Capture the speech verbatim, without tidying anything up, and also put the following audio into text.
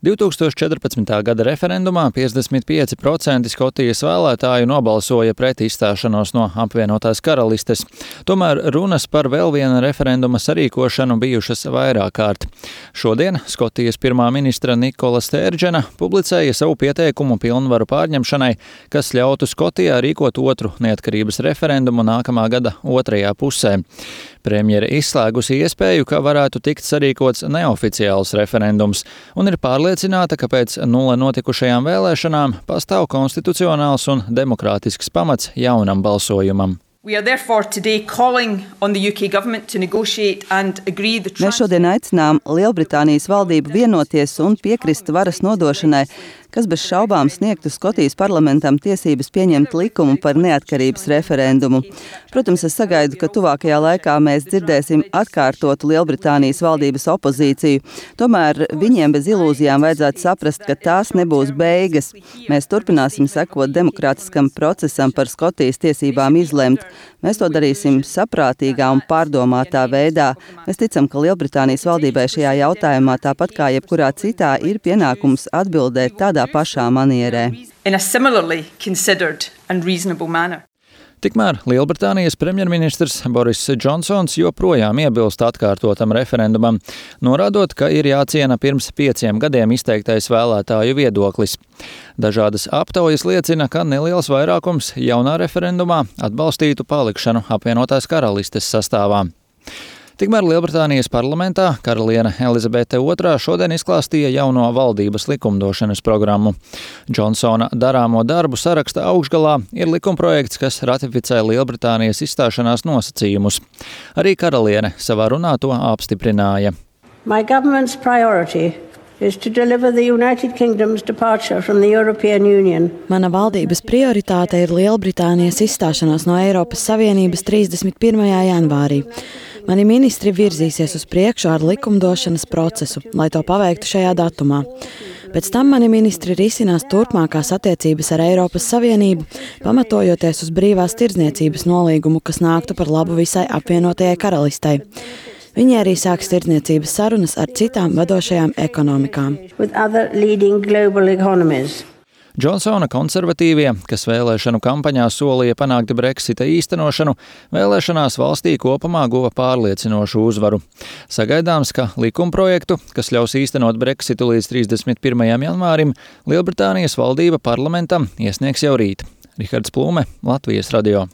divtūkstoš četrpadsmitā gada referendumā piecdesmit pieci procenti Skotijas vēlētāju nobalsoja pret izstāšanos no apvienotās karalistes. Tomēr runas par vēl viena referenduma sarīkošanu bijušas vairāk kārt. Šodien Skotijas pirmā ministra Nikola Stērdžena publicēja savu pieteikumu pilnvaru pārņemšanai, kas ļautu Skotijā rīkot otru neatkarības referendumu nākamā gada otrajā pusē. Premjere izslēgusi iespēju, ka varētu tikt sarīkots neoficiāls referendums, un ir pārliecināta, ka pēc nulle notikušajām vēlēšanām pastāv konstitucionāls un demokrātisks pamats jaunam balsojumam. Mēs šodien aicinām Lielbritānijas valdību vienoties un piekrist varas nodošanai, kas bez šaubām sniegtu Skotijas parlamentam tiesības pieņemt likumu par neatkarības referendumu. Protams, es sagaidu, ka tuvākajā laikā mēs dzirdēsim atkārtotu Lielbritānijas valdības opozīciju. Tomēr viņiem bez ilūzijām vajadzētu saprast, ka tās nebūs beigas. Mēs turpināsim sekot demokrātiskam procesam par Skotijas tiesībām izlemt. Mēs to darīsim saprātīgā un pārdomātā veidā. Mēs ticam, ka Lielbritānijas valdībai šajā jautājumā, tāpat kā jebkurā citā, ir pienākums atbildēt tādā pašā manierē. Tikmēr Lielbritānijas premjerministrs Boris Džonsons joprojām iebilst atkārtotam referendumam, norādot, ka ir jāciena pirms pieciem gadiem izteiktais vēlētāju viedoklis. Dažādas aptaujas liecina, ka neliels vairākums jaunā referendumā atbalstītu palikšanu apvienotās karalistes sastāvā. Tikmēr Lielbritānijas parlamentā karaliene Elizabete otrā šodien izklāstīja jauno valdības likumdošanas programmu. Džonsona darāmo darbu saraksta augšgalā ir likumprojekts, kas ratificē Lielbritānijas izstāšanās nosacījumus. Arī karaliene savā runā to apstiprināja. My government's priority is to deliver the United Kingdom's departure from the European Union. Mana valdības prioritāte ir Lielbritānijas izstāšanās no Eiropas Savienības trīsdesmit pirmajā janvārī. Mani ministri virzīsies uz priekšu ar likumdošanas procesu, lai to paveiktu šajā datumā. Pēc tam mani ministri risinās turpmākās attiecības ar Eiropas Savienību, pamatojoties uz brīvās tirdzniecības nolīgumu, kas nāktu par labu visai apvienotajai karalistei. Viņi arī sāks tirdzniecības sarunas ar citām vadošajām ekonomikām. Džonsona konservatīvie, kas vēlēšanu kampaņā solīja panākt Brexita īstenošanu, vēlēšanās valstī kopumā guva pārliecinošu uzvaru. Sagaidāms, ka likumprojektu, kas ļaus īstenot Brexitu līdz trīsdesmit pirmajam janvārim, Lielbritānijas valdība parlamentam iesniegs jau rīt. Rihards Plūme, Latvijas radio.